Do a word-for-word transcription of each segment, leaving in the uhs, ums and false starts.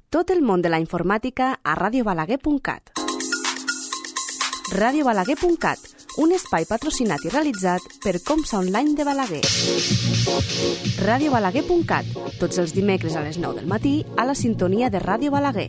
Tot el món de la informàtica a radio balaguer punt cat. radio balaguer punt cat, un espai patrocinat i realitzat per Comsa Online de Balaguer. radio balaguer punt cat, tots els dimecres a les nou del matí a la sintonia de Ràdio Balaguer.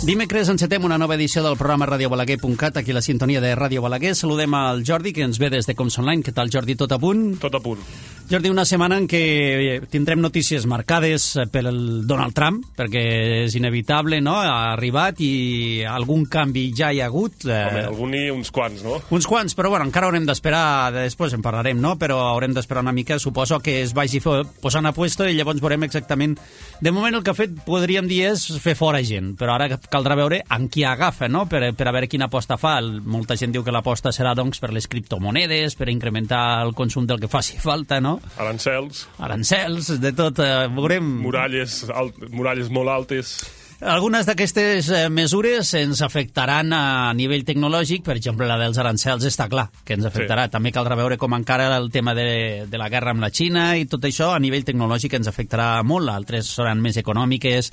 Dimecres encetem una nova edició del programa radio balaguer punt cat, aquí a la sintonia de Ràdio Balaguer. Saludem al Jordi, que ens ve des de Comsa Online. Què tal, Jordi? Tot a punt? Tot a punt. Jordi, una setmana en què tindrem notícies marcades pel Donald Trump, perquè és inevitable, no? Ha arribat i algun canvi ja hi ha hagut. Home, algun i uns quants, no? Uns quants, però bueno, encara haurem d'esperar, després en parlarem, no? Però haurem d'esperar una mica, suposo que es vagi posant a puesto i llavors veurem exactament... De moment el que ha fet, podríem dir, és fer fora gent, però ara caldrà veure amb qui agafa, no? Per, per a veure quina aposta fa. Molta gent diu que l'aposta serà, doncs, per les criptomonedes, per incrementar el consum del que faci falta, no? Arancels. Arancels, de tot, eh, veurem... Muralles, alt, muralles molt altes. Algunes d'aquestes mesures ens afectaran a nivell tecnològic, per exemple, la dels arancels està clar que ens afectarà. Sí. També caldrà veure com encara el tema de, de la guerra amb la Xina i tot això a nivell tecnològic ens afectarà molt. Altres seran més econòmiques,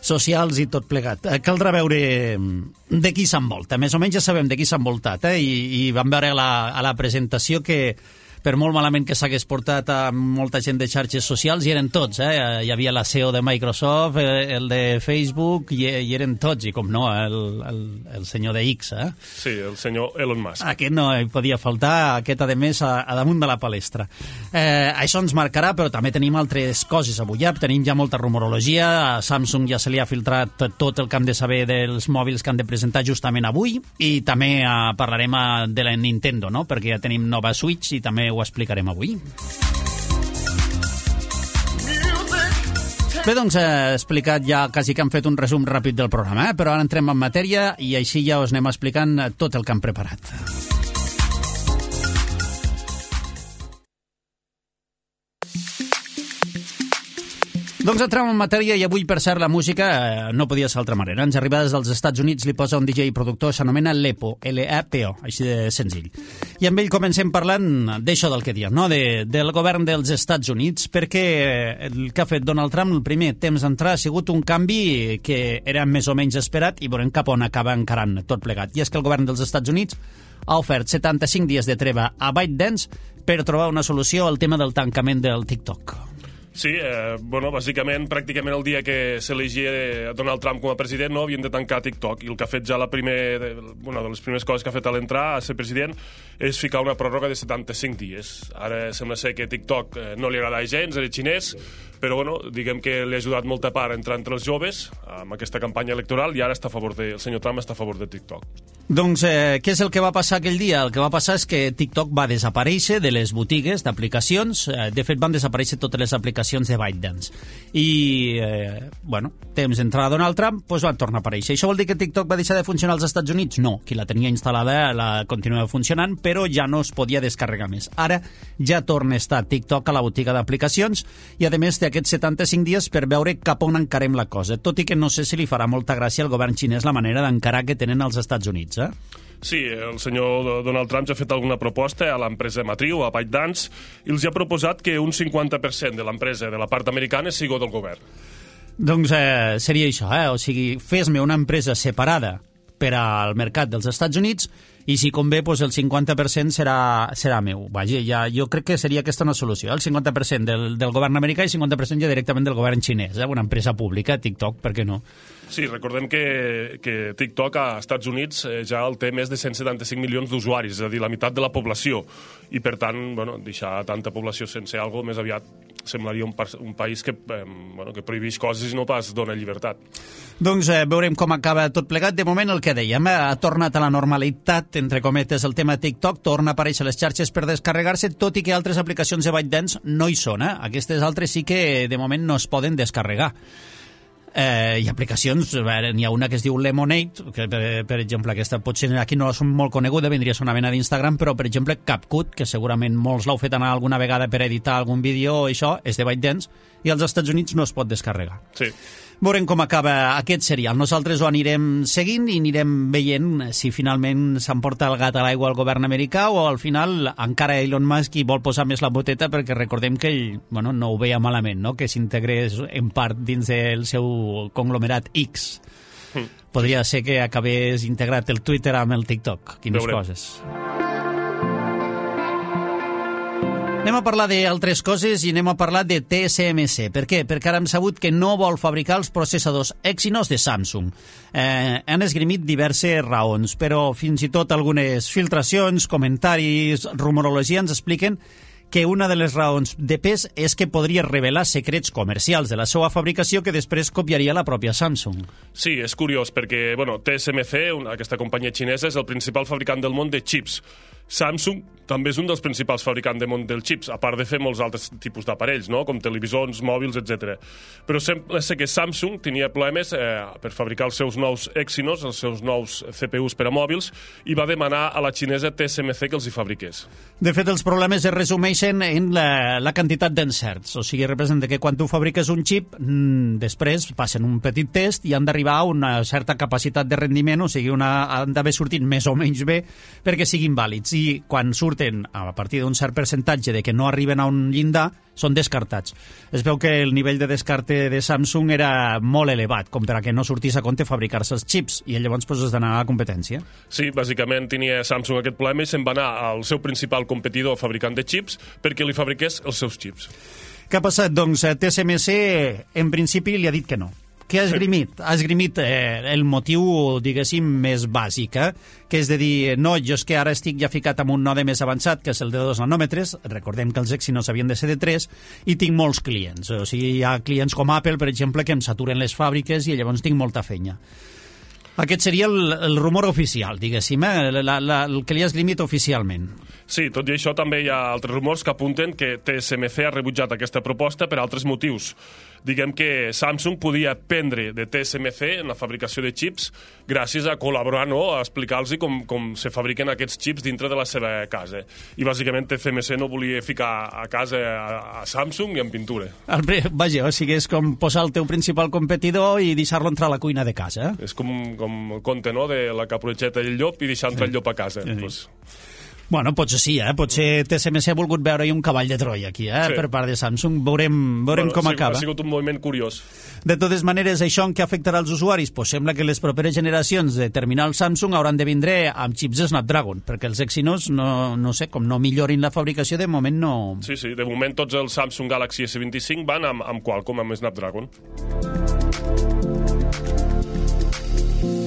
socials i tot plegat. Caldrà veure de qui s'envolta. Més o menys ja sabem de qui s'ha envoltat, eh? I, i vam veure a la, a la presentació que per molt malament que s'hagués portat a molta gent de xarxes socials, hi eren tots, eh? Hi havia la C E O de Microsoft, el de Facebook, i hi eren tots, i com no, el, el, el senyor de X, eh? Sí, el senyor Elon Musk. Aquest no hi podia faltar, aquest, a més, a, a damunt de la palestra. Eh, això ens marcarà, però també tenim altres coses avui. Ja tenim ja molta rumorologia, a Samsung ja se li ha filtrat tot el que hem de saber dels mòbils que han de presentar justament avui, i també eh, parlarem a, de la Nintendo, no? Perquè ja tenim nova Switch i també ho explicarem avui. Bé, doncs he explicat ja, quasi que hem fet un resum ràpid del programa, eh? Però ara entrem en matèria i així ja us anem explicant tot el que hem preparat. Doncs entrem en matèria i avui, per cert, la música eh, no podia ser d'altra manera. Ens arriba des dels Estats Units, li posa un D J productor, s'anomena Lepo, L E P O, així de senzill. I amb ell comencem parlant d'això del que diem, no? de, del govern dels Estats Units, perquè el que ha fet Donald Trump el primer temps d'entrar ha sigut un canvi que era més o menys esperat i veurem cap on acaba encarant tot plegat. I és que el govern dels Estats Units ha ofert setanta-cinc dies de treva a ByteDance per trobar una solució al tema del tancament del TikTok. Sí, eh, bueno, bàsicament, pràcticament el dia que s'elegia Donald Trump com a president, no, havien de tancar TikTok, i el que ha fet ja la primer, de, una de les primeres coses que ha fet a l'entrar a ser president és ficar una pròrroga de setanta-cinc dies. Ara sembla ser que TikTok eh, no li agrada gens, era xinès, però bueno, diguem que li ha ajudat molta part a entrar entre els joves amb aquesta campanya electoral, i ara està a favor de, el senyor Trump està a favor de TikTok. Doncs eh, què és el que va passar aquell dia? El que va passar és que TikTok va desaparèixer de les botigues d'aplicacions. Eh, de fet, van desaparèixer totes les aplicacions de ByteDance. I, eh, bueno, temps d'entrar a Donald Trump, doncs van tornar a aparèixer. Això vol dir que TikTok va deixar de funcionar als Estats Units? No, qui la tenia instal·lada la continuava funcionant, però ja no es podia descarregar més. Ara ja torna a estar TikTok a la botiga d'aplicacions i, a més, té aquests setanta-cinc dies per veure cap on encarem la cosa, tot i que no sé si li farà molta gràcia al govern xinès la manera d'encarar que tenen als Estats Units. Eh? Sí, el senyor Donald Trump ja ha fet alguna proposta a l'empresa matriu, a ByteDance, i els ha proposat que un cinquanta per cent de l'empresa de la part americana sigui del govern. Doncs eh, seria això, eh? O sigui, fes-me una empresa separada per al mercat dels Estats Units i si convé, doncs el cinquanta per cent serà, serà meu. Vaja, ja, jo crec que seria aquesta una solució, el cinquanta per cent del, del govern americà i cinquanta per cent ja directament del govern xinès, eh? Una empresa pública, TikTok, per què no? Sí, recordem que, que TikTok a Estats Units eh, ja el té més de cent setanta-cinc milions d'usuaris, és a dir, la meitat de la població, i per tant, bueno, deixar tanta població sense alguna cosa més aviat semblaria un, un país que, eh, bueno, que prohibeix coses i no pas dona llibertat. Doncs eh, veurem com acaba tot plegat. De moment el que dèiem, eh, ha tornat a la normalitat, entre cometes, el tema TikTok, torna a aparèixer les xarxes per descarregar-se, tot i que altres aplicacions de ByteDance no hi són. Eh? Aquestes altres sí que de moment no es poden descarregar. Eh, hi ha aplicacions, n'hi ha una que es diu Lemonade, que per, per exemple aquesta potser aquí no és molt coneguda, vindria a ser una mena d'Instagram, però per exemple CapCut, que segurament molts l'heu fet anar alguna vegada per editar algun vídeo o això, és de ByteDance i als Estats Units no es pot descarregar. Sí. Veurem com acaba aquest serial. Nosaltres ho anirem seguint i anirem veient si finalment s'emporta el gat a l'aigua al govern americà o al final encara Elon Musk hi vol posar més la boteta, perquè recordem que ell bueno, no ho veia malament, no? Que s'integrés en part dins del seu conglomerat X. Mm. Podria ser que acabés integrat el Twitter amb el TikTok. Quines Veurem. coses. Anem a parlar d'altres coses i anem a parlar de T S M C. Per què? Perquè ara hem sabut que no vol fabricar els processadors Exynos de Samsung. Eh, han esgrimit diverses raons, però fins i tot algunes filtracions, comentaris, rumorologia ens expliquen que una de les raons de pes és que podria revelar secrets comercials de la seva fabricació que després copiaria la pròpia Samsung. Sí, és curiós perquè bueno, T S M C, una, aquesta companyia xinesa, és el principal fabricant del món de xips. Samsung també és un dels principals fabricants del món dels xips, a part de fer molts altres tipus d'aparells, no? Com televisors, mòbils, etcètera. Però sembla ser que Samsung tenia problemes eh, per fabricar els seus nous Exynos, els seus nous C P Us per a mòbils, i va demanar a la xinesa T S M C que els hi fabriqués. De fet, els problemes es resumeixen en la, la quantitat d'encerts. O sigui, representa que quan tu fabriques un xip, mmm, després passen un petit test i han d'arribar a una certa capacitat de rendiment, o sigui, una, han d'haver sortit més o menys bé perquè siguin vàlids. I quan surten a partir d'un cert percentatge de que no arriben a un llindar, són descartats. Es veu que el nivell de descarte de Samsung era molt elevat, com per a que no sortís a compte fabricar-se els xips, i llavors pues, has d'anar a la competència. Sí, bàsicament tenia Samsung aquest problema i se'n va anar al seu principal competidor fabricant de xips perquè li fabriqués els seus xips. Què ha passat? Doncs T S M C en principi li ha dit que no. Què ha esgrimit? Ha esgrimit eh, el motiu, diguéssim, més bàsic, eh? Que és de dir, no, jo és que ara estic ja ficat amb un node més avançat, que és el de dos nanòmetres, recordem que els Exynos havien de ser de tres, i tinc molts clients. O sigui, hi ha clients com Apple, per exemple, que em saturen les fàbriques i llavors tinc molta feina. Aquest seria el, el rumor oficial, diguéssim, eh? la, la, el que li ha esgrimit oficialment. Sí, tot i això també hi ha altres rumors que apunten que T S M C ha rebutjat aquesta proposta per altres motius. Diguem que Samsung podia aprendre de T S M C en la fabricació de xips gràcies a col·laborar, no?, a explicar-los com, com se fabriquen aquests xips dintre de la seva casa. I bàsicament T S M C no volia ficar a casa a, a Samsung ni en pintura. El, vaja, o sigui, és com posar el teu principal competidor i deixar-lo entrar a la cuina de casa. Eh? És com, com el conte, no?, de la caputxeta i el llop i deixar entrar sí. el llop a casa. Sí. Pues... Bueno, potser sí, eh? Potser T S M C ha volgut veure-hi un cavall de Troia aquí, eh? Sí. Per part de Samsung. Veurem, veurem bueno, com sí, acaba. Ha sigut un moviment curiós. De totes maneres, això en què afectarà els usuaris? Pues sembla que les properes generacions de terminals Samsung hauran de vindre amb xips Snapdragon, perquè els Exynos, no, no sé, com no millorin la fabricació, de moment no... Sí, sí, de moment tots els Samsung Galaxy S vint-i-cinc van amb, amb Qualcomm, amb Snapdragon.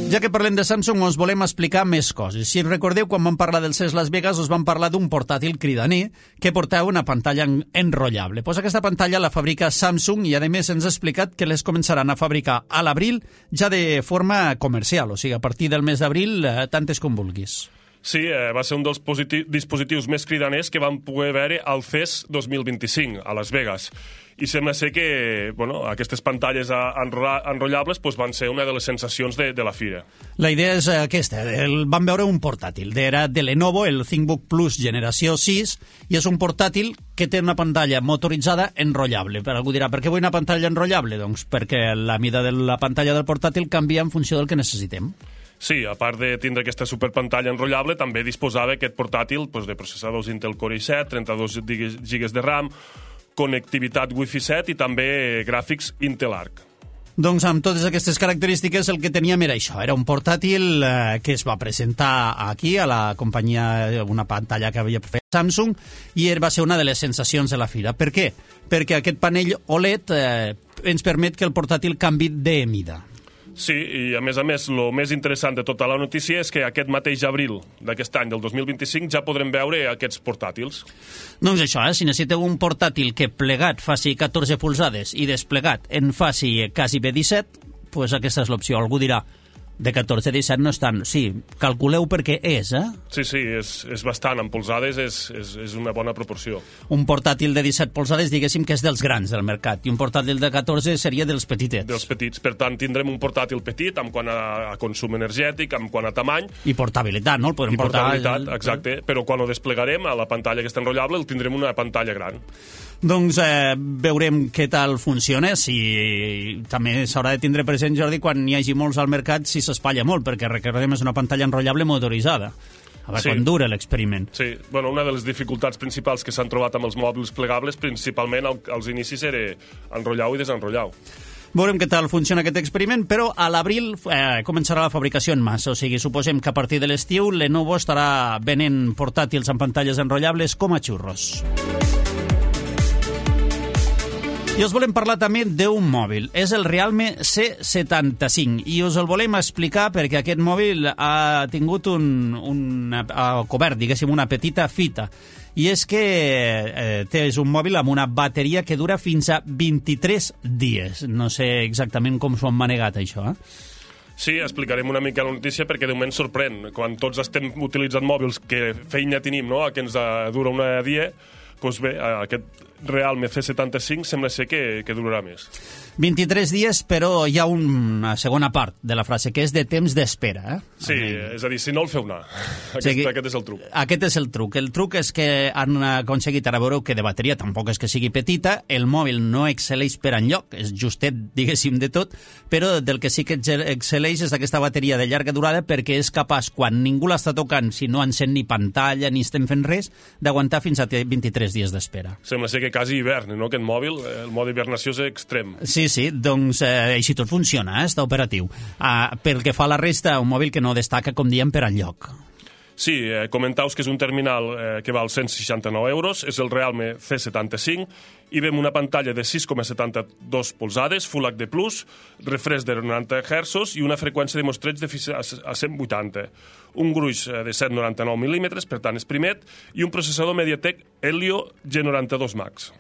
Ja que parlem de Samsung, us volem explicar més coses. Si recordeu, quan vam parlar del C E S Las Vegas, us vam parlar d'un portàtil cridaner que portava una pantalla enrotllable. Pues aquesta pantalla la fabrica Samsung i, a més, ens ha explicat que les començaran a fabricar a l'abril ja de forma comercial, o sigui, a partir del mes d'abril, eh, tantes com vulguis. Sí, eh, va ser un dels dispositius més cridaners que vam poder veure al C E S dos mil vint-i-cinc, a Las Vegas. I sembla ser que bueno, aquestes pantalles enrotllables pues, van ser una de les sensacions de, de la fira. La idea és aquesta. El, vam veure un portàtil. Era de Lenovo, el ThinkBook Plus generació sis, i és un portàtil que té una pantalla motoritzada enrotllable. Per algú dirà, per què vull una pantalla enrotllable? Doncs perquè la mida de la pantalla del portàtil canvia en funció del que necessitem. Sí, a part de tindre aquesta superpantalla enrotllable, també disposava aquest portàtil pues, de processadors Intel Core i set, trenta-dos gigas de RAM, connectivitat Wi-Fi set i també gràfics Intel Arc. Doncs amb totes aquestes característiques el que teníem era això, era un portàtil eh, que es va presentar aquí a la companyia, una pantalla que havia fet Samsung, i va ser una de les sensacions de la fira. Per què? Perquè aquest panell O L E D eh, ens permet que el portàtil canvi de mida. Sí, i a més a més, el més interessant de tota la notícia és que aquest mateix abril d'aquest any, del dos mil vint-i-cinc, ja podrem veure aquests portàtils. Doncs això, eh? Si necessiteu un portàtil que plegat faci catorze polzades i desplegat en faci quasi bé disset, doncs aquesta és l'opció. Algú dirà, de catorze a disset no és tant. Sí, calculeu perquè és, eh? Sí, sí, és, és bastant. En polzades és, és, és una bona proporció. Un portàtil de disset polzades, diguéssim que és dels grans del mercat, i un portàtil de catorze seria dels petitets. Dels petits. Per tant, tindrem un portàtil petit en quant a, a consum energètic, en quant a tamany. I portabilitat, no? El podem I portar... portabilitat, exacte. Però quan ho desplegarem a la pantalla que està enrotllable, el tindrem una pantalla gran. Doncs eh, veurem què tal funciona. Si també s'haurà de tindre present, Jordi, quan hi hagi molts al mercat, si s'espatlla molt, perquè recordem és una pantalla enrotllable motoritzada. A veure, sí. Quan dura l'experiment. Sí, bueno, una de les dificultats principals que s'han trobat amb els mòbils plegables, principalment als inicis, era enrotllar-ho i desenrotllar-ho. Veurem què tal funciona aquest experiment, però a l'abril eh, començarà la fabricació en massa, o sigui, suposem que a partir de l'estiu Lenovo estarà venent portàtils amb pantalles enrotllables com a xurros. I us volem parlar també d'un mòbil. És el Realme C setanta-cinc i us el volem explicar perquè aquest mòbil ha tingut un, un ha cobert, diguéssim, una petita fita. I és que eh, és un mòbil amb una bateria que dura fins a vint-i-tres dies. No sé exactament com s'ho han manegat, això, eh? Sí, explicarem una mica la notícia perquè de moment sorprèn. Quan tots estem utilitzant mòbils que feina tenim, no?, que ens dura una dia, doncs bé, aquest Realme C setanta-cinc sembla ser que, que durarà més. vint-i-tres dies, però hi ha una segona part de la frase, que és de temps d'espera. Eh? Sí, és a dir, si no el feu anar. Aquest, sí, aquest és el truc. Aquest és el truc. El truc és que han aconseguit, ara veureu que de bateria tampoc és que sigui petita, el mòbil no excel·leix per enlloc, és justet, diguéssim, de tot, però del que sí que excel·leix és d'aquesta bateria de llarga durada perquè és capaç, quan ningú l'està tocant, si no encén ni pantalla ni estem fent res, d'aguantar fins a vint-i-tres dies d'espera. Sembla ser que quasi hivern, no?, aquest mòbil, el mode hibernació és extrem. Sí, sí, doncs eh, així tot funciona, eh? Està operatiu. Uh, pel que fa a la resta, un mòbil que no destaca, com diem, per enlloc. Sí, eh, comentaus que és un terminal eh, que val cent seixanta-nou euros, és el Realme C setanta-cinc, i vem una pantalla de sis coma setanta-dos polzades, Full H D plus, refresc de noranta hertzos i una freqüència de mostreig de fins a cent vuitanta. Un gruix de set coma noranta-nou mil·límetres, per tant és primet, i un processador MediaTek Helio G noranta-dos Max.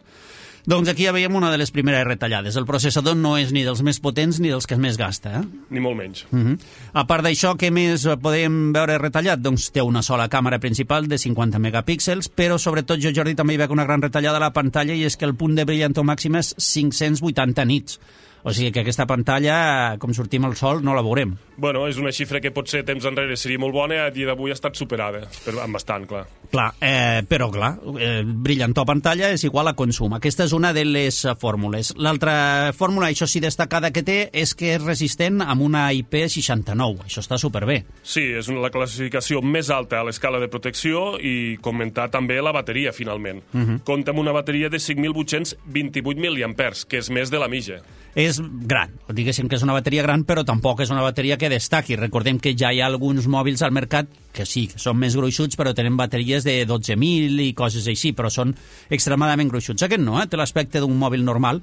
Doncs aquí ja veiem una de les primeres retallades. El processador no és ni dels més potents ni dels que més gasta. Eh? Ni molt menys. Uh -huh. A part d'això, què més podem veure retallat? Doncs té una sola càmera principal de cinquanta megapíxels, però sobretot jo, Jordi, també hi veig una gran retallada a la pantalla i és que el punt de brillantor màxim és cinc-cents vuitanta nits. O sigui que aquesta pantalla, com sortim al sol, no la veurem. Bueno, és una xifra que potser temps enrere seria molt bona, a dia d'avui ha estat superada, però amb bastant, clar. Clar, eh, però clar, eh, brillantor pantalla és igual a consum. Aquesta és una de les fórmules. L'altra fórmula, això sí destacada que té, és que és resistent amb una I P seixanta-nou. Això està superbé. Sí, és una, la classificació més alta a l'escala de protecció i comentar també la bateria, finalment. Uh -huh. Compta amb una bateria de cinc mil vuit-cents vint-i-vuit mil·liampers, que és més de la mitja. És gran, diguéssim que és una bateria gran, però tampoc és una bateria que destaqui. Recordem que ja hi ha alguns mòbils al mercat que sí, que són més gruixuts, però tenen bateries de dotze mil i coses així, però són extremadament gruixuts. Aquest no, eh? Té l'aspecte d'un mòbil normal.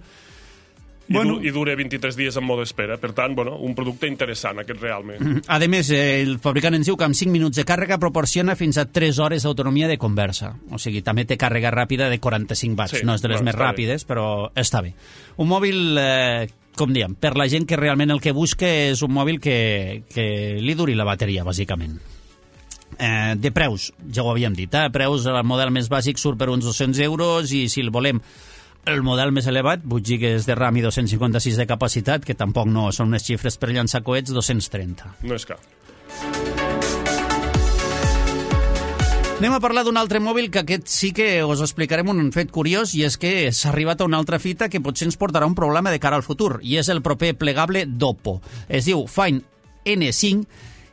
I, bueno, du I dura vint-i-tres dies en mode espera. Per tant, bueno, un producte interessant, aquest Realme. A més, eh, el fabricant ens diu que amb cinc minuts de càrrega proporciona fins a tres hores d'autonomia de conversa. O sigui, també té càrrega ràpida de quaranta-cinc watts. Sí, no és de les més ràpides, bé. Però està bé. Un mòbil, eh, com diem, per la gent que realment el que busca és un mòbil que, que li duri la bateria, bàsicament. Eh, de preus, ja ho havíem dit, eh? Preus, el model més bàsic surt per uns dos-cents euros i si el volem el model més elevat, vuit gigas de RAM i dos-cents cinquanta-sis de capacitat, que tampoc no són unes xifres per llançar coets, dos-cents trenta. No és cap. Anem a parlar d'un altre mòbil que aquest sí que us explicarem un fet curiós, i és que s'ha arribat a una altra fita que potser ens portarà un problema de cara al futur, i és el proper plegable d'Oppo. Es diu Find N cinc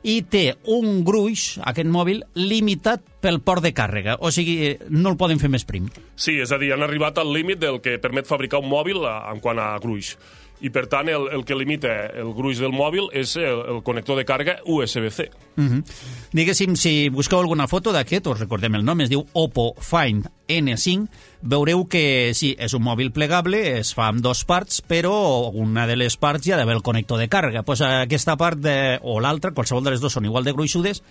i té un gruix, aquest mòbil, limitat pel port de càrrega. O sigui, no el poden fer més prim. Sí, és a dir, han arribat al límit del que permet fabricar un mòbil en quant a gruix. I, per tant, el, el que limita el gruix del mòbil és el, el connector de càrrega U S B C. Uh -huh. Diguéssim, si busqueu alguna foto d'aquest, us recordem el nom, es diu Oppo Find N cinc, veureu que sí, és un mòbil plegable, es fa amb dos parts, però una de les parts hi ha d'haver el connector de càrrega. Pues aquesta part de, o l'altra, qualsevol de les dues són igual de gruixudes,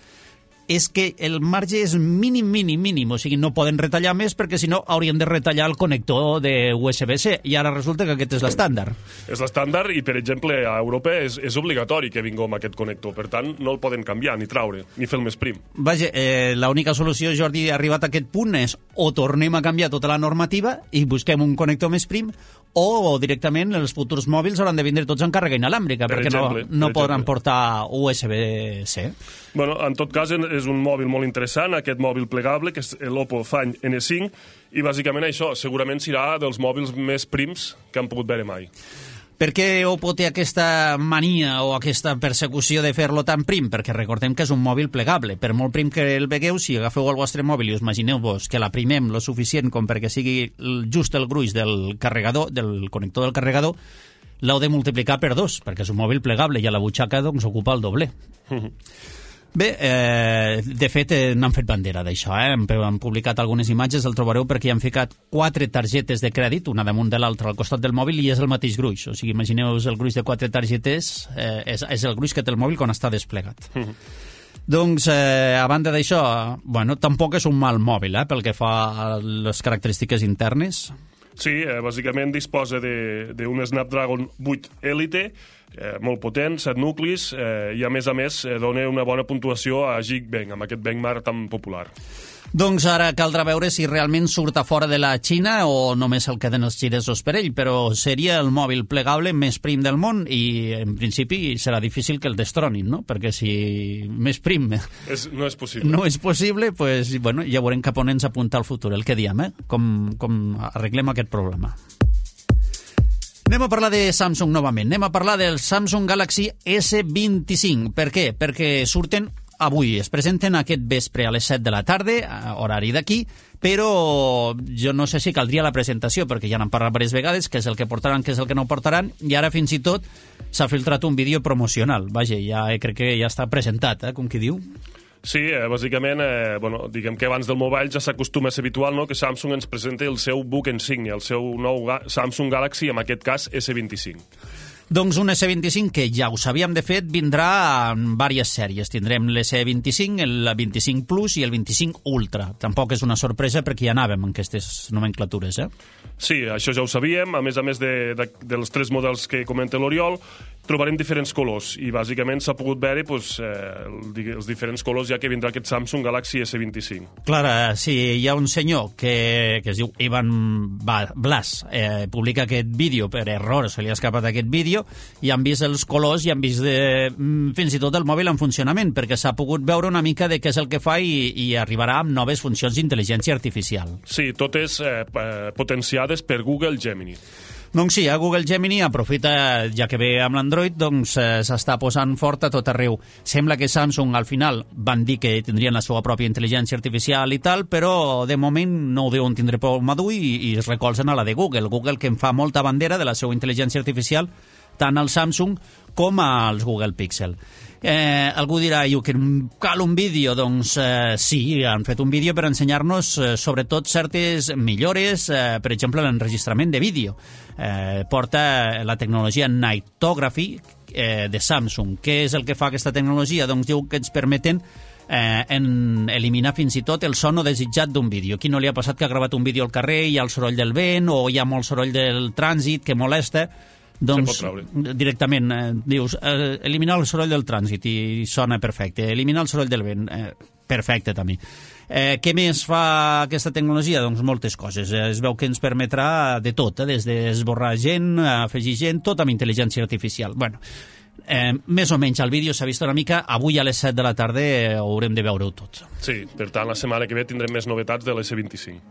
és que el marge és mínim, mínim, mínim, o sigui, no poden retallar més perquè si no haurien de retallar el connector de U S B C i ara resulta que aquest és l'estàndard. És l'estàndard i, per exemple, a Europa és, és obligatori que vingui amb aquest connector, per tant, no el poden canviar, ni traure, ni fer el més prim. Vaja, eh, l'única solució, Jordi, arribat a aquest punt és o tornem a canviar tota la normativa i busquem un connector més prim o directament els futurs mòbils hauran de vindre tots en càrrega inalàmbrica, per perquè exemple, no, no per podran exemple. portar U S B-C. Bueno, en tot cas, és un mòbil molt interessant, aquest mòbil plegable, que és l'Oppo Find ene cinc, i bàsicament això segurament serà dels mòbils més prims que han pogut veure mai. Per què Oppo té aquesta mania o aquesta persecució de fer-lo tan prim? Perquè recordem que és un mòbil plegable. Per molt prim que el vegueu, si agafeu el vostre mòbil i us imagineu-vos que l'aprimem lo suficient com perquè sigui just el gruix del carregador, del connector del carregador, l'heu de multiplicar per dos, perquè és un mòbil plegable i a la butxaca doncs, ocupa el doble. Bé, eh, de fet, eh, n'han fet bandera d'això, eh? Han, han publicat algunes imatges, el trobareu perquè hi han ficat quatre targetes de crèdit, una damunt de l'altra al costat del mòbil, i és el mateix gruix. O sigui, imagineu-vos el gruix de quatre targetes, eh, és, és el gruix que té el mòbil quan està desplegat. Mm. Doncs, eh, a banda d'això, bueno, tampoc és un mal mòbil, eh, pel que fa a les característiques internes. Sí, eh, bàsicament disposa d'un Snapdragon vuit Elite, eh, molt potent, set nuclis, eh, i a més a més eh, dona una bona puntuació a Geekbench, amb aquest benchmark tan popular. Doncs ara caldrà veure si realment surt a fora de la Xina o només el queden els xinesos per ell, però seria el mòbil plegable més prim del món i en principi serà difícil que el destronin, no? Perquè si més prim és, no és possible, no és possible pues, bueno, ja veurem cap on ens apunta el futur, el que diem, eh? com, com arreglem aquest problema. Anem a parlar de Samsung novament, anem a parlar del Samsung Galaxy esse vint-i-cinc. Per què? Perquè surten avui, es presenten aquest vespre a les set de la tarda, horari d'aquí, però jo no sé si caldria la presentació, perquè ja n'han parlat diverses vegades, què és el que portaran, què és el que no portaran, i ara fins i tot s'ha filtrat un vídeo promocional. Vaja, ja crec que ja està presentat, eh, com qui diu. Sí, eh, bàsicament, eh, bueno, diguem que abans del mobile ja s'acostuma a ser habitual, no?, que Samsung ens presenta el seu buc insígnia, el seu nou ga Samsung Galaxy, en aquest cas esse vint-i-cinc. Doncs un esse vint-i-cinc que ja ho sabíem, de fet, vindrà en diverses sèries. Tindrem l'esse vint-i-cinc, el vint-i-cinc Plus i el vint-i-cinc Ultra. Tampoc és una sorpresa perquè ja anàvem en aquestes nomenclatures, eh? Sí, això ja ho sabíem. A més a més de, de, dels tres models que comenta l'Oriol, trobarem diferents colors i bàsicament s'ha pogut veure pues, eh, els diferents colors ja que vindrà aquest Samsung Galaxy esse vint-i-cinc. Clar, si hi ha un senyor que, que es diu Ivan Blas, eh, publica aquest vídeo per error, se li ha escapat aquest vídeo, i han vist els colors i han vist de, fins i tot el mòbil en funcionament, perquè s'ha pogut veure una mica de què és el que fa i, i arribarà amb noves funcions d'intel·ligència artificial. Sí, totes eh, potenciades per Google Gemini. Doncs sí, a Google Gemini aprofita, ja que ve amb l'Android, doncs eh, s'està posant fort a tot arreu. Sembla que Samsung al final van dir que tindrien la seva pròpia intel·ligència artificial i tal, però de moment no ho deuen tindre por madur i, i es recolzen a la de Google. Google que en fa molta bandera de la seva intel·ligència artificial tant al Samsung com als Google Pixel. Eh, algú dirà, que cal un vídeo? Doncs eh, sí, han fet un vídeo per ensenyar-nos eh, sobretot certes millores, eh, per exemple l'enregistrament de vídeo. Eh, porta la tecnologia Nightography eh, de Samsung. Què és el que fa aquesta tecnologia? Doncs diu que ens permeten eh, en eliminar fins i tot el so no desitjat d'un vídeo. Qui no li ha passat que ha gravat un vídeo al carrer i hi ha el soroll del vent o hi ha molt soroll del trànsit que molesta? Doncs directament eh, dius eh, eliminar el soroll del trànsit i sona perfecte, eliminar el soroll del vent eh, perfecte també. Eh, què més fa aquesta tecnologia? Doncs moltes coses, eh, es veu que ens permetrà de tot, eh, des d'esborrar gent, afegir gent, tot amb intel·ligència artificial. Bueno, eh, més o menys el vídeo s'ha vist una mica, avui a les set de la tarda eh, haurem de veure-ho tot. Sí, per tant la setmana que ve tindrem més novetats de l'esse vint-i-cinc.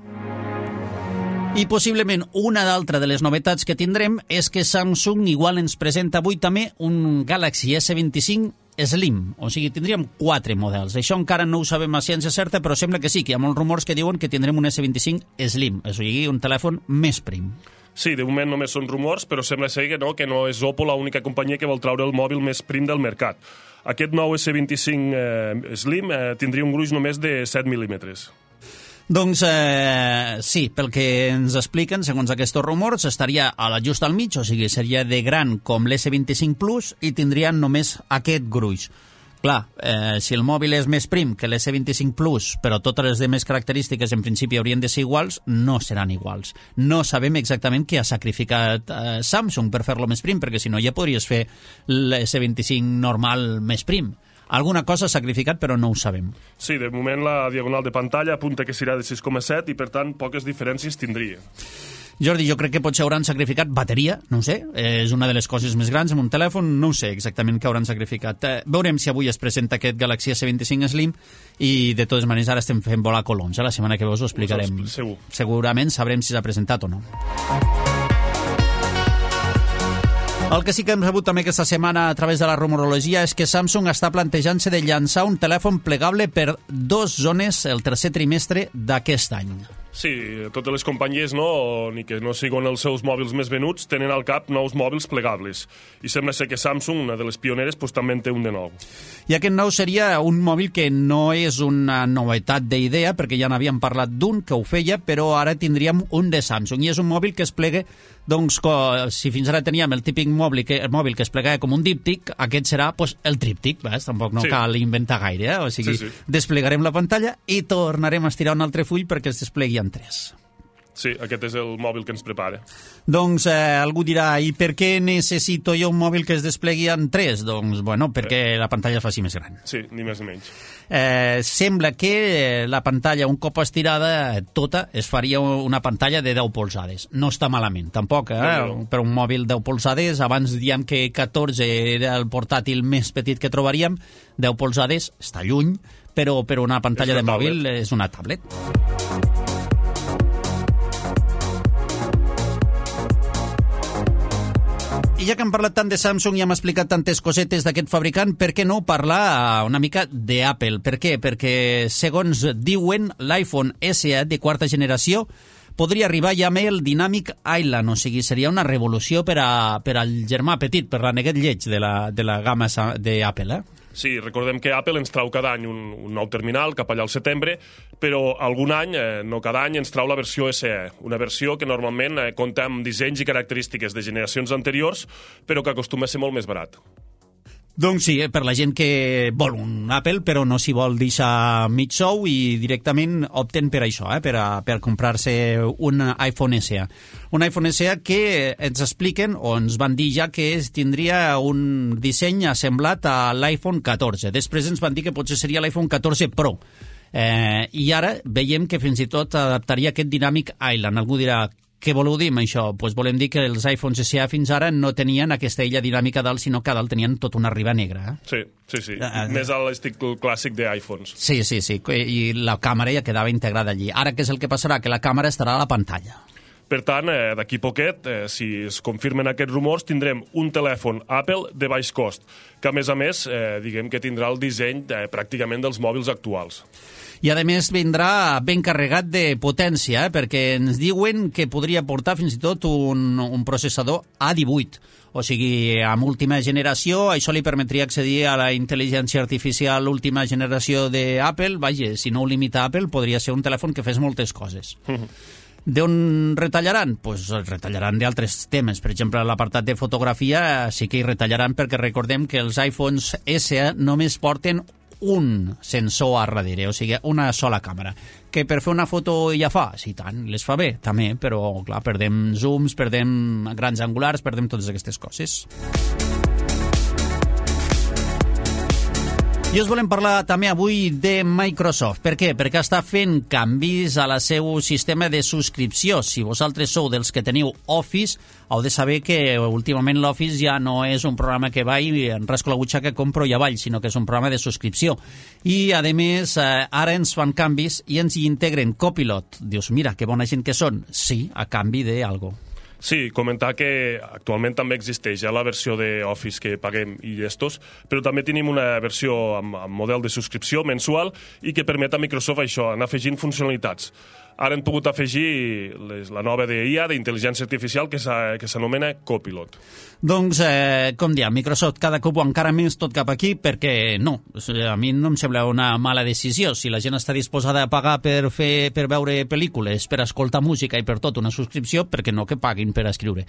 I possiblement una d'altra de les novetats que tindrem és que Samsung igual ens presenta avui també un Galaxy esse vint-i-cinc Slim, o sigui, tindríem quatre models. Això encara no ho sabem a ciència certa, però sembla que sí, que hi ha molts rumors que diuen que tindrem un esse vint-i-cinc Slim, o sigui, un telèfon més prim. Sí, de moment només són rumors, però sembla ser que no, que no és Oppo l'única companyia que vol treure el mòbil més prim del mercat. Aquest nou esse vint-i-cinc eh, Slim eh, tindria un gruix només de set mil·límetres. Doncs eh, sí, pel que ens expliquen, segons aquests rumors, estaria a la just al mig, o sigui, seria de gran com l'esse vint-i-cinc Plus i tindrien només aquest gruix. Clar, eh, si el mòbil és més prim que l'esse vint-i-cinc Plus, però totes les demés característiques en principi haurien de ser iguals, no seran iguals. No sabem exactament què ha sacrificat eh, Samsung per fer-lo més prim, perquè si no ja podries fer l'esse vint-i-cinc normal més prim. Alguna cosa s'ha sacrificat, però no ho sabem. Sí, de moment la diagonal de pantalla apunta que serà de sis coma set i, per tant, poques diferències tindria. Jordi, jo crec que potser hauran sacrificat bateria, no ho sé, és una de les coses més grans amb un telèfon, no ho sé exactament què hauran sacrificat. Eh, veurem si avui es presenta aquest Galaxy S vint-i-cinc Slim i de totes maneres ara estem fent volar coloms, eh? La setmana que ve us ho explicarem. Segur. Segurament sabrem si s'ha presentat o no. El que sí que hem rebut també aquesta setmana a través de la rumorologia és que Samsung està plantejant-se de llançar un telèfon plegable per dos zones el tercer trimestre d'aquest any. Sí, totes les companyies, no, ni que no siguin els seus mòbils més venuts, tenen al cap nous mòbils plegables. I sembla ser que Samsung, una de les pioneres, pues, també en té un de nou. I aquest nou seria un mòbil que no és una novetat d'idea, perquè ja n'havíem parlat d'un que ho feia, però ara tindríem un de Samsung. I és un mòbil que es plega, doncs, si fins ara teníem el típic mòbil que, el mòbil que es plegava com un díptic, aquest serà pues, el tríptic, ves? Tampoc no sí. cal inventar gaire, eh? O sigui, sí, sí. desplegarem la pantalla i tornarem a estirar un altre full perquè es desplegui en tres. Sí, aquest és el mòbil que ens prepara. Doncs eh, algú dirà, i per què necessito jo un mòbil que es desplegui en tres? Doncs, bueno, perquè eh. la pantalla es faci més gran. Sí, ni més ni menys. Eh, sembla que la pantalla, un cop estirada tota, es faria una pantalla de deu polzades. No està malament, tampoc, eh? No, no. Per un mòbil deu polzades, abans diem que catorze era el portàtil més petit que trobaríem, deu polzades està lluny, però per una pantalla de tablet. Mòbil és una tablet. I ja que hem parlat tant de Samsung i hem explicat tantes cosetes d'aquest fabricant, per què no parlar una mica d'Apple? Per què? Perquè, segons diuen, l'iPhone S E de quarta generació podria arribar ja amb el Dynamic Island, o sigui, seria una revolució per, a, per al germà petit, per l'aneguet lleig de la, de la gamma d'Apple, eh? Sí, recordem que Apple ens trau cada any un, un nou terminal, cap allà al setembre, però algun any, eh, no cada any, ens trau la versió S E, una versió que normalment eh, compta amb dissenys i característiques de generacions anteriors, però que acostuma a ser molt més barat. Doncs sí, per la gent que vol un Apple, però no s'hi vol deixar mig sou i directament opten per això, eh, per, a, per comprar-se un iPhone S E. Un iPhone S E que ens expliquen, o ens van dir ja, que tindria un disseny assemblat a l'iPhone catorze. Després ens van dir que potser seria l'iPhone catorze Pro. Eh, I ara veiem que fins i tot adaptaria aquest Dynamic Island. Algú dirà, què voleu dir amb això? Pues volem dir que els iPhones S E fins ara no tenien aquesta illa dinàmica dalt, sinó que a dalt tenien tota una riba negra. Eh? Sí, sí, sí. Uh, Més a l'estic clàssic d'iPhones. Sí, sí, sí. I la càmera ja quedava integrada allí. Ara què és el que passarà? Que la càmera estarà a la pantalla. Per tant, eh, d'aquí poquet, eh, si es confirmen aquests rumors, tindrem un telèfon Apple de baix cost, que a més a més, eh, diguem que tindrà el disseny eh, pràcticament dels mòbils actuals. I a més vindrà ben carregat de potència, eh? Perquè ens diuen que podria portar fins i tot un, un processador A divuit. O sigui, amb última generació, això li permetria accedir a la intel·ligència artificial última generació d'Apple. Vaja, si no ho limita Apple, podria ser un telèfon que fes moltes coses. D'on retallaran? Doncs pues retallaran d'altres temes. Per exemple, l'apartat de fotografia sí que hi retallaran, perquè recordem que els iPhones S E només porten un sensor a darrere, o sigui, una sola càmera. Que per fer una foto ja fa? Sí, tant, les fa bé, també, però, clar, perdem zooms, perdem grans angulars, perdem totes aquestes coses. I us volem parlar també avui de Microsoft. Per què? Perquè està fent canvis a la seu sistema de subscripció. Si vosaltres sou dels que teniu Office, heu de saber que últimament l'Office ja no és un programa que va i en rasco la butxaca compro i avall, sinó que és un programa de subscripció. I, a més, ara ens fan canvis i ens hi integren Copilot. Dius, mira, que bona gent que són. Sí, a canvi d'algo. Sí, comentar que actualment també existeix ja la versió d'Office que paguem i llestos, però també tenim una versió amb, amb model de subscripció mensual i que permet a Microsoft això, anar afegint funcionalitats. Ara hem pogut afegir les, la nova d'I A, d'intel·ligència artificial, que s'anomena Copilot. Doncs, eh, com diem, Microsoft cada cop encara més tot cap aquí, perquè no, a mi no em sembla una mala decisió. Si la gent està disposada a pagar per, fer, per veure pel·lícules, per escoltar música i per tot una subscripció, perquè no que paguin per escriure.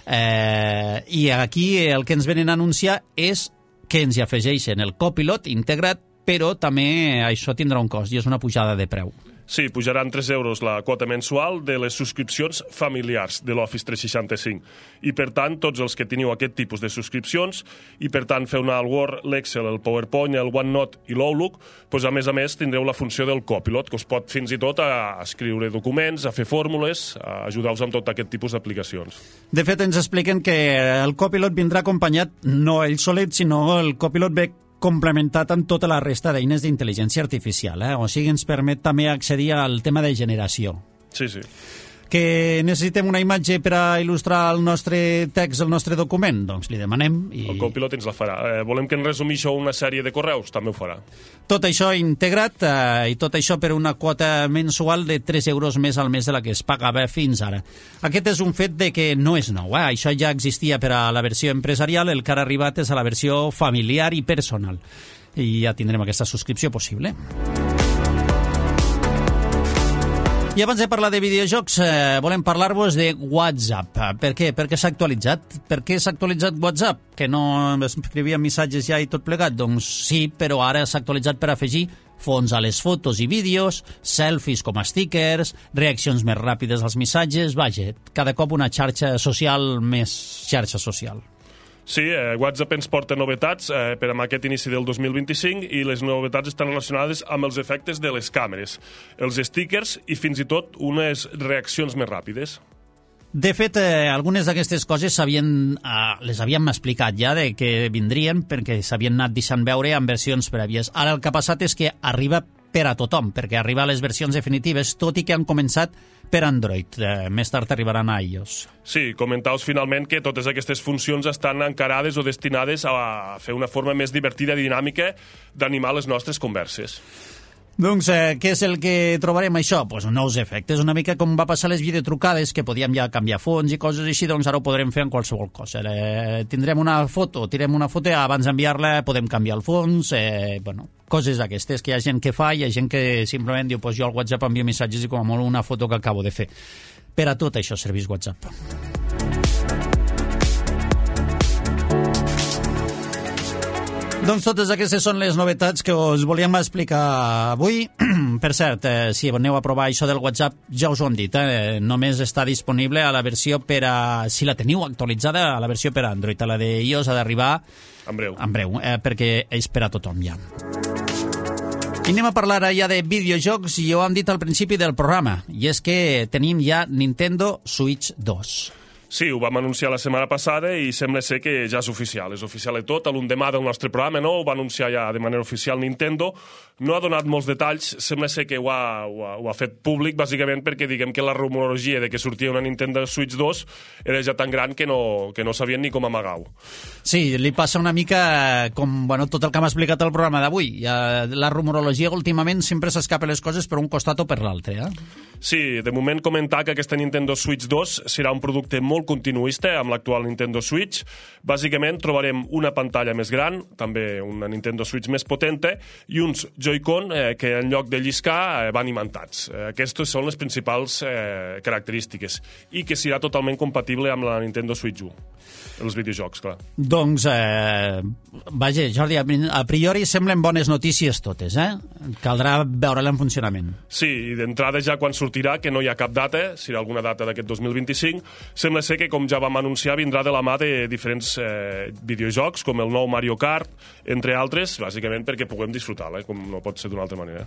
Eh, I aquí el que ens venen a anunciar és que ens hi afegeixen el Copilot integrat, però també això tindrà un cost i és una pujada de preu. Sí, pujaran tres euros la quota mensual de les subscripcions familiars de l'Office tres seixanta-cinc. I, per tant, tots els que teniu aquest tipus de subscripcions i, per tant, feu anar el Word, l'Excel, el PowerPoint, el OneNote i l'Outlook, doncs, a més a més, tindreu la funció del Copilot, que us pot fins i tot a escriure documents, a fer fórmules, a ajudar-vos amb tot aquest tipus d'aplicacions. De fet, ens expliquen que el Copilot vindrà acompanyat, no ell solet, sinó el Copilot ve complementat amb tota la resta d'eines d'intel·ligència artificial, eh? O sigui, ens permet també accedir al tema de generació. Sí, sí. Que necessitem una imatge per a il·lustrar el nostre text, el nostre document? Doncs li demanem. I... El Copilot ens la farà. Eh, volem que ens resumeixo una sèrie de correus? També ho farà. Tot això integrat eh, i tot això per una quota mensual de tres euros més al mes de la que es pagava fins ara. Aquest és un fet de que no és nou. Eh? Això ja existia per a la versió empresarial, el que ha arribat és a la versió familiar i personal. I ja tindrem aquesta subscripció possible. I abans de parlar de videojocs, eh, volem parlar-vos de WhatsApp. Per què? Per què s'ha actualitzat? Per què s'ha actualitzat WhatsApp? Que no escrivia missatges ja i tot plegat? Doncs sí, però ara s'ha actualitzat per afegir fons a les fotos i vídeos, selfies com a stickers, reaccions més ràpides als missatges, vaja, cada cop una xarxa social més xarxa social. Sí, eh, WhatsApp ens porta novetats eh, per a aquest inici del dos mil vint-i-cinc i les novetats estan relacionades amb els efectes de les càmeres, els stickers i fins i tot unes reaccions més ràpides. De fet, eh, algunes d'aquestes coses s'havien, eh, les havíem explicat ja de que vindrien perquè s'havien anat deixant veure en versions prèvies. Ara el que ha passat és que arriba per a tothom, perquè arriba a les versions definitives, tot i que han començat per Android. Eh, més tard arribaran a iOS. Sí, comentaos finalment que totes aquestes funcions estan encarades o destinades a fer una forma més divertida i dinàmica d'animar les nostres converses. Doncs eh, què és el que trobarem això? Pues nous efectes, una mica com va passar les videotrucades, que podíem ja canviar fons i coses així, doncs ara ho podrem fer en qualsevol cosa. Eh, tindrem una foto, tirem una foto, abans d'enviar-la podem canviar el fons, eh, bueno, coses d'aquestes, que hi ha gent que fa, hi ha gent que simplement diu, pues jo al WhatsApp envio missatges i com a molt una foto que acabo de fer. Per a tot això serveix WhatsApp. Doncs totes aquestes són les novetats que us volíem explicar avui. Per cert, eh, si aneu a provar això del WhatsApp, ja us ho hem dit, eh, només està disponible a la versió per a... Si la teniu actualitzada, a la versió per a Android. A la de iOS ha d'arribar... En breu. En breu, eh, perquè és per a tothom ja. I anem a parlar ja de videojocs, i ho hem dit al principi del programa, i és que tenim ja Nintendo Switch dos. Sí, ho vam anunciar la setmana passada i sembla ser que ja és oficial. És oficial de tot. A l'endemà del nostre programa, no? Ho va anunciar ja de manera oficial Nintendo. No ha donat molts detalls. Sembla ser que ho ha, ho ha, ho ha fet públic, bàsicament perquè diguem que la rumorologia de que sortia una Nintendo Switch dos era ja tan gran que no, que no sabien ni com amagar-ho. Sí, li passa una mica com bueno, tot el que m'ha explicat el programa d'avui. La rumorologia últimament sempre s'escapa les coses per un costat o per l'altre. Eh? Sí, de moment comentar que aquesta Nintendo Switch dos serà un producte molt continuista amb l'actual Nintendo Switch. Bàsicament trobarem una pantalla més gran, també una Nintendo Switch més potenta, i uns Joy-Con eh, que en lloc de lliscar eh, van imantats. Eh, aquestes són les principals eh, característiques i que serà totalment compatible amb la Nintendo Switch u. Els videojocs, clar. Doncs, eh, vaja, Jordi, a priori semblen bones notícies totes, eh? Caldrà veure-la en funcionament. Sí, i d'entrada ja quan sortirà, que no hi ha cap data, serà alguna data d'aquest dos mil vint-i-cinc, sembla ser que, com ja vam anunciar, vindrà de la mà de diferents eh, videojocs, com el nou Mario Kart, entre altres, bàsicament perquè puguem disfrutar-la, eh, com no pot ser d'una altra manera.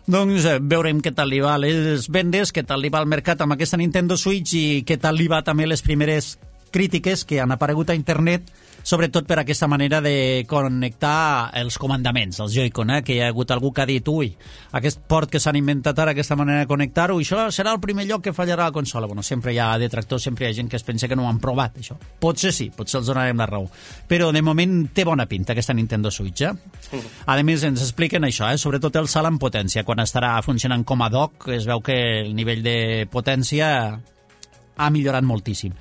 Doncs eh, veurem què tal li va les vendes, què tal li va al mercat amb aquesta Nintendo Switch i què tal li va també les primeres crítiques que han aparegut a internet, sobretot per aquesta manera de connectar els comandaments, els Joy-Con, eh? Que hi ha hagut algú que ha dit, ui, aquest port que s'han inventat ara, aquesta manera de connectar-ho, i això serà el primer lloc que fallarà la consola. Bueno, sempre hi ha detractors, sempre hi ha gent que es pensa que no ho han provat, això. Potser sí, potser els donarem la raó. Però de moment té bona pinta aquesta Nintendo Switch, eh? Mm. A més, ens expliquen això, eh? Sobretot el salt en potència. Quan estarà funcionant com a dock, es veu que el nivell de potència ha millorat moltíssim.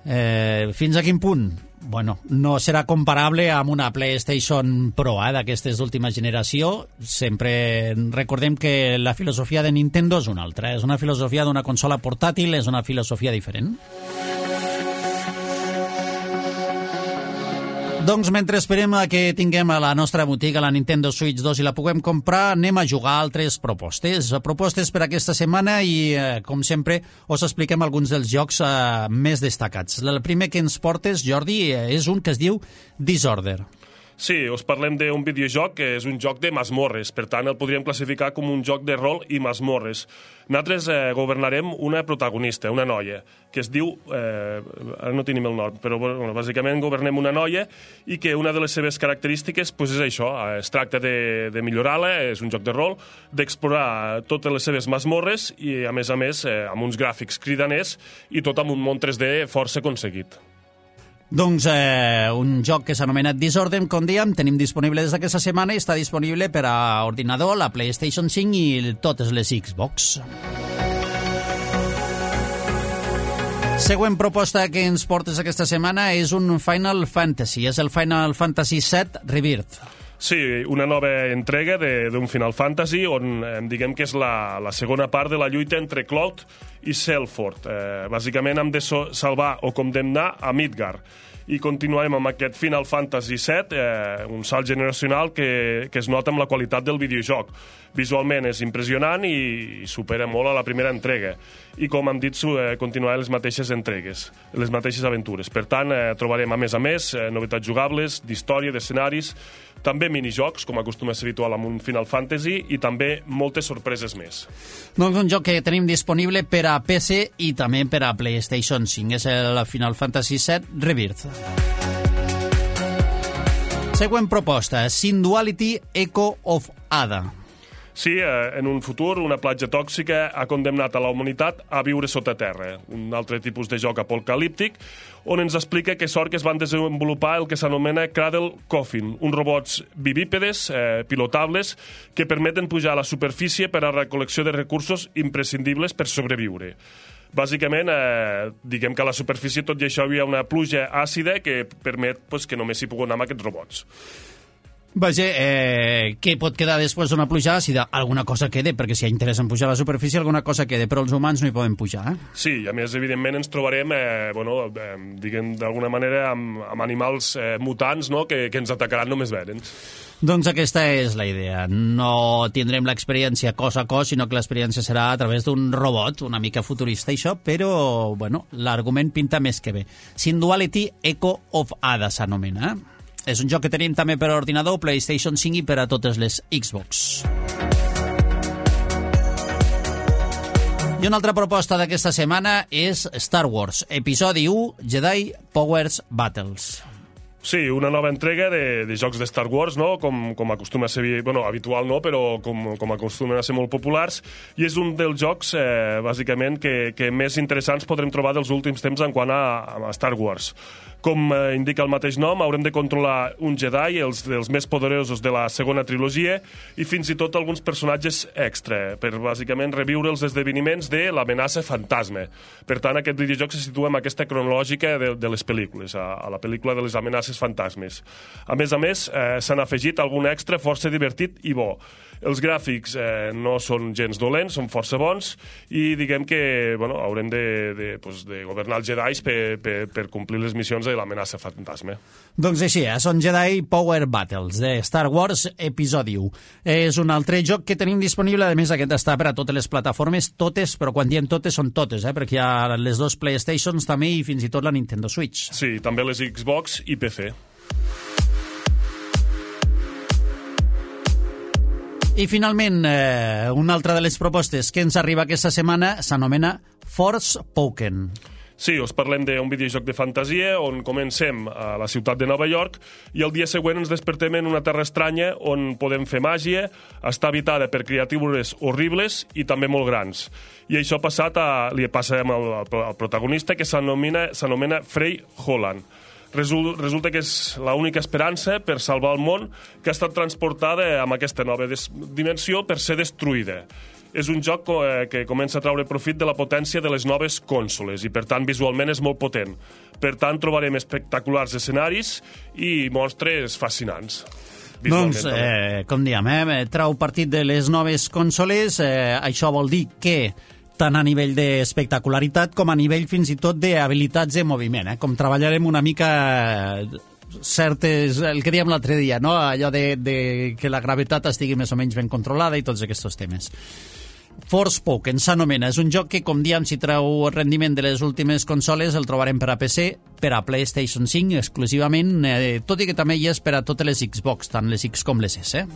Eh, fins a quin punt? Bueno, no serà comparable amb una PlayStation Pro eh, d'aquestes d'última generació. Sempre recordem que la filosofia de Nintendo és una altra. És una filosofia d'una consola portàtil, és una filosofia diferent. Doncs mentre esperem a que tinguem a la nostra botiga la Nintendo Switch dos i la puguem comprar, anem a jugar a altres propostes. Propostes per aquesta setmana i, eh, com sempre, us expliquem alguns dels jocs eh, més destacats. El primer que ens portes, Jordi, és un que es diu Disorder. Sí, us parlem d'un videojoc que és un joc de masmorres, per tant el podríem classificar com un joc de rol i masmorres. Nosaltres eh, governarem una protagonista, una noia, que es diu, eh, ara no tenim el nom, però bueno, bàsicament governem una noia i que una de les seves característiques pues, és això, eh, es tracta de, de millorar-la, és un joc de rol, d'explorar totes les seves masmorres i a més a més eh, amb uns gràfics cridaners i tot amb un món tres D força aconseguit. Doncs eh, un joc que s'anomena Disorder, com dèiem, tenim disponible des d'aquesta setmana i està disponible per a ordinador, la PlayStation cinc i totes les Xbox. Següent proposta que ens portes aquesta setmana és un Final Fantasy, és el Final Fantasy set Rebirth. Sí, una nova entrega d'un Final Fantasy on eh, diguem que és la, la segona part de la lluita entre Cloud i Selford. Eh, bàsicament hem de so salvar o condemnar a Midgar. I continuem amb aquest Final Fantasy set, eh, un salt generacional que, que es nota amb la qualitat del videojoc. Visualment és impressionant i, i supera molt a la primera entrega. I com hem dit, eh, continuarà les mateixes entregues, les mateixes aventures. Per tant, eh, trobarem a més a més eh, novetats jugables, d'història, d'escenaris, també minijocs, com acostuma a ser habitual amb un Final Fantasy, i també moltes sorpreses més. Doncs un joc que tenim disponible per a P C i també per a PlayStation cinc. És el Final Fantasy set Rebirth. Següent proposta, Synduality Echo of Ada. Sí, eh, en un futur, una platja tòxica ha condemnat a la humanitat a viure sota terra, un altre tipus de joc apocalíptic, on ens explica que sort que es van desenvolupar el que s'anomena Cradle Coffin, uns robots bivípedes, eh, pilotables, que permeten pujar a la superfície per a la recol·lecció de recursos imprescindibles per sobreviure. Bàsicament, eh, diguem que a la superfície tot i això hi havia una pluja àcida que permet pues, que només s'hi pugui anar amb aquests robots. Vaja, eh, què pot quedar després d'una pluja àcida? Alguna cosa quede, perquè si hi ha interès en pujar a la superfície, alguna cosa quede, però els humans no hi poden pujar. Eh? Sí, i a més, evidentment, ens trobarem, eh, bueno, eh, diguem, d'alguna manera, amb, amb animals eh, mutants, no?, que, que ens atacaran només veure'ns. Doncs aquesta és la idea. No tindrem l'experiència cos a cos, sinó que l'experiència serà a través d'un robot, una mica futurista, això, però, bueno, l'argument pinta més que bé. Synduality Echo of Ada s'anomena, eh? És un joc que tenim també per a ordinador, PlayStation cinc i per a totes les Xbox. I una altra proposta d'aquesta setmana és Star Wars, episodi u, Jedi Powers Battles. Sí, una nova entrega de, de jocs de Star Wars, no? com, com acostuma a ser, bueno, habitual no, però com, com acostumen a ser molt populars, i és un dels jocs, eh, bàsicament, que, que més interessants podrem trobar dels últims temps en quant a, a Star Wars. Com eh, indica el mateix nom, haurem de controlar un Jedi, els, els més poderosos de la segona trilogia, i fins i tot alguns personatges extra, per bàsicament reviure els esdeveniments de l'amenaça fantasma. Per tant, aquest videojoc se situa en aquesta cronològica de, de les pel·lícules, a, a la pel·lícula de les amenaces fantasmes. A més a més, eh, s'han afegit algun extra força divertit i bo. Els gràfics eh, no són gens dolents, són força bons, i diguem que bueno, haurem de, de, pues, de governar els Jedis per, per, per complir les missions de l'amenaça fantasma. Doncs així, eh? Són Jedi Power Battles de Star Wars episodi u. És un altre joc que tenim disponible, a més aquest està per a totes les plataformes, totes, però quan diem totes són totes, eh? Perquè hi ha les dos PlayStations també i fins i tot la Nintendo Switch. Sí, també les Xbox i P C. I finalment, eh, una altra de les propostes que ens arriba aquesta setmana s'anomena Forspoken. Sí, us parlem d'un videojoc de fantasia on comencem a la ciutat de Nova York i el dia següent ens despertem en una terra estranya on podem fer màgia, està habitada per criatures horribles i també molt grans. I això passat a, li passa amb el, el protagonista, que s'anomena Frey Holland. Resulta que és l'única esperança per salvar el món, que ha estat transportada amb aquesta nova dimensió per ser destruïda. És un joc que comença a treure profit de la potència de les noves consoles i, per tant, visualment és molt potent. Per tant, trobarem espectaculars escenaris i monstres fascinants. Doncs, eh, com diem, eh, trau partit de les noves consoles. Eh, això vol dir que tant a nivell d'espectacularitat com a nivell fins i tot d'habilitats de moviment, eh? Com treballarem una mica certes... el que dèiem l'altre dia, no? Allò de, de que la gravetat estigui més o menys ben controlada i tots aquests temes. Forspoken s'anomena. És un joc que, com diem, si treu rendiment de les últimes consoles, el trobarem per a P C, per a PlayStation cinc exclusivament, eh, tot i que també hi és per a totes les Xbox, tant les X com les S.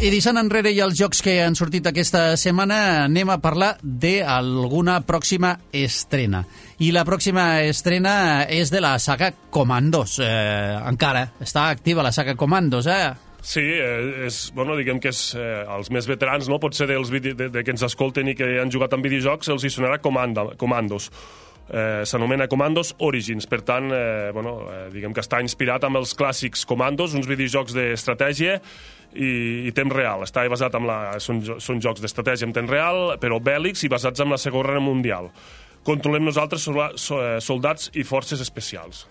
I deixant enrere ja els jocs que han sortit aquesta setmana, anem a parlar d'alguna pròxima estrena. I la pròxima estrena és de la saga Commandos. Eh, encara està activa la saga Commandos, eh? Sí, eh, és, bueno, diguem que és, eh, els més veterans, no? Potser dels vide- de, de que ens escolten i que han jugat amb videojocs, els hi sonarà Comanda, Commandos. Eh, s'anomena Commandos Origins, per tant, eh, bueno, eh, diguem que està inspirat amb els clàssics Commandos, uns videojocs d'estratègia i, i temps real. Està basat en la, són, són jocs d'estratègia en temps real, però bèl·lics i basats en la Segona Guerra Mundial. Controlem nosaltres soldats i forces especials.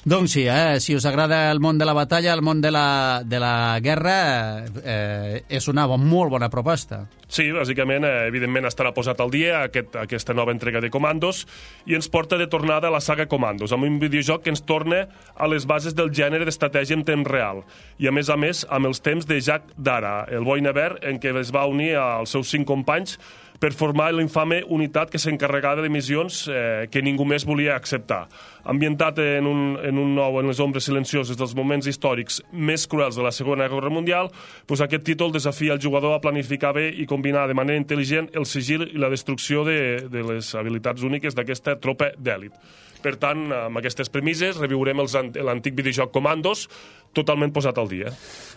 Doncs sí, eh? Si us agrada el món de la batalla, el món de la, de la guerra, eh, és una bon, molt bona proposta. Sí, bàsicament, eh, evidentment estarà posat al dia aquest, aquesta nova entrega de Commandos i ens porta de tornada a la saga Commandos, amb un videojoc que ens torna a les bases del gènere d'estratègia en temps real i, a més a més, amb els temps de Jack Dara, el boi nevert en què es va unir als seus cinc companys per formar l'infame unitat que s'encarregava de missions eh, que ningú més volia acceptar. Ambientat en un, en un nou en les ombres silencioses dels moments històrics més cruels de la Segona Guerra Mundial, doncs aquest títol desafia el jugador a planificar bé i combinar de manera intel·ligent el sigil i la destrucció de, de les habilitats úniques d'aquesta tropa d'èlit. Per tant, amb aquestes premisses, reviurem l'antic videojoc Commandos, totalment posat al dia.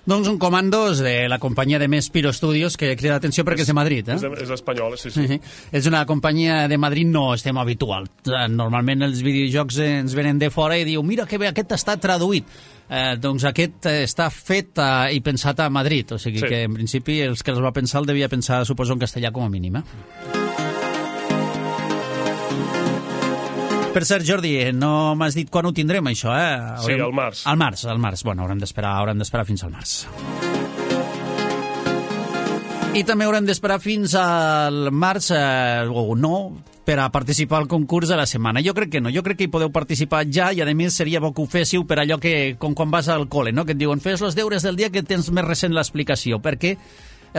Doncs un Commandos de la companyia de Mespiro Studios, que crida l'atenció perquè és, és de Madrid. Eh? És, de, és espanyol, sí, sí. Uh-huh. És una companyia de Madrid, no estem habitual. Normalment els videojocs ens venen de fora i diu, mira que bé, aquest està traduït. Eh, doncs aquest està fet eh, i pensat a Madrid, o sigui sí. Que en principi els que els va pensar el devia pensar, suposo, en castellà com a mínim. Eh? Per cert, Jordi, no m'has dit quan ho tindrem, això, eh? Haurem... Sí, al març. Al març, al març. Bueno, haurem d'esperar, haurem d'esperar fins al març. I també haurem d'esperar fins al març, eh, o no, per a participar al concurs de la setmana. Jo crec que no, jo crec que hi podeu participar ja i, a més, seria bo que ho féssiu per allò que, com quan vas al col·le, no? Que et diuen, fes els deures del dia que tens més recent l'explicació, perquè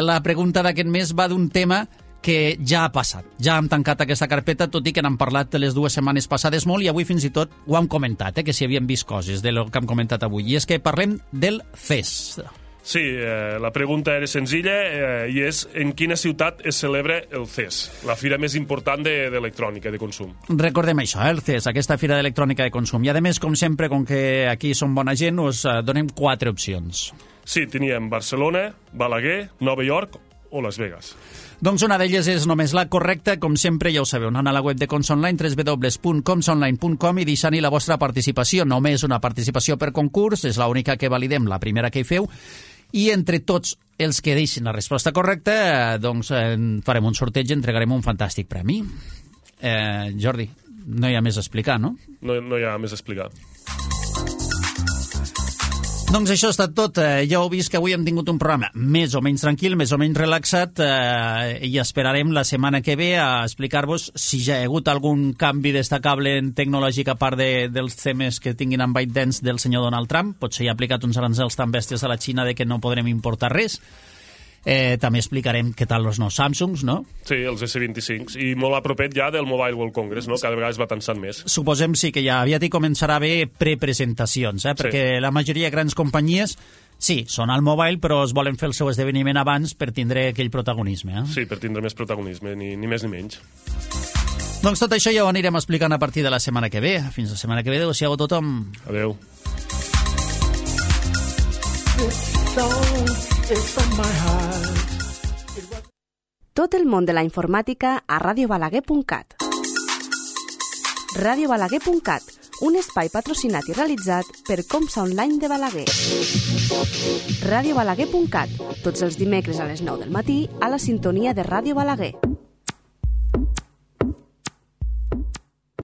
la pregunta d'aquest mes va d'un tema que ja ha passat. Ja hem tancat aquesta carpeta, tot i que n'hem parlat les dues setmanes passades molt, i avui fins i tot ho hem comentat, eh, que si havíem vist coses del que hem comentat avui. I és que parlem del C E S. Sí, eh, la pregunta era senzilla eh, i és en quina ciutat es celebra el C E S, la fira més important d'electrònica, de, de consum. Recordem això, eh, el C E S, aquesta fira d'electrònica de consum. I a més, com sempre, com que aquí som bona gent, us eh, donem quatre opcions. Sí, teníem Barcelona, Balaguer, Nova York o Las Vegas. Doncs una d'elles és només la correcta, com sempre ja ho sabeu, anant a la web de Comsonline, w w w punt comsonline punt com, i deixant-hi la vostra participació. Només una participació per concurs, és l'única que validem, la primera que hi feu, i entre tots els que deixin la resposta correcta, doncs eh, farem un sorteig i entregarem un fantàstic premi. Eh, Jordi, no hi ha més a explicar, no? No, no hi ha més a explicar. Doncs això ha estat tot. Eh, ja heu vist que avui hem tingut un programa més o menys tranquil, més o menys relaxat, eh, i esperarem la setmana que ve a explicar-vos si ja hi ha hagut algun canvi destacable en tecnològic a part de, dels temes que tinguin amb ByteDance del senyor Donald Trump. Potser hi ha aplicat uns aranzels tan bèsties a la Xina de que no podrem importar res. Eh, també explicarem què tal els nous Samsungs, no? Sí, els S vint-i-cinc, i molt a propet ja del Mobile World Congress, no? Cada vegada es va tensant més. Suposem sí que ja aviat hi començarà a haver prepresentacions, eh? Perquè sí. La majoria de grans companyies sí, són al mobile, però es volen fer el seu esdeveniment abans per tindre aquell protagonisme. Eh? Sí, per tindre més protagonisme, ni, ni més ni menys. Doncs tot això ja ho anirem explicant a partir de la setmana que ve. Fins la setmana que ve, adéu-siau a tothom. Adéu. Tot el món de la informàtica a ràdio balaguer punt cat. ràdio balaguer punt cat, un espai patrocinat i realitzat per Comsa Online de Balaguer. ràdio balaguer punt cat, tots els dimecres a les nou del matí a la sintonia de Ràdio Balaguer.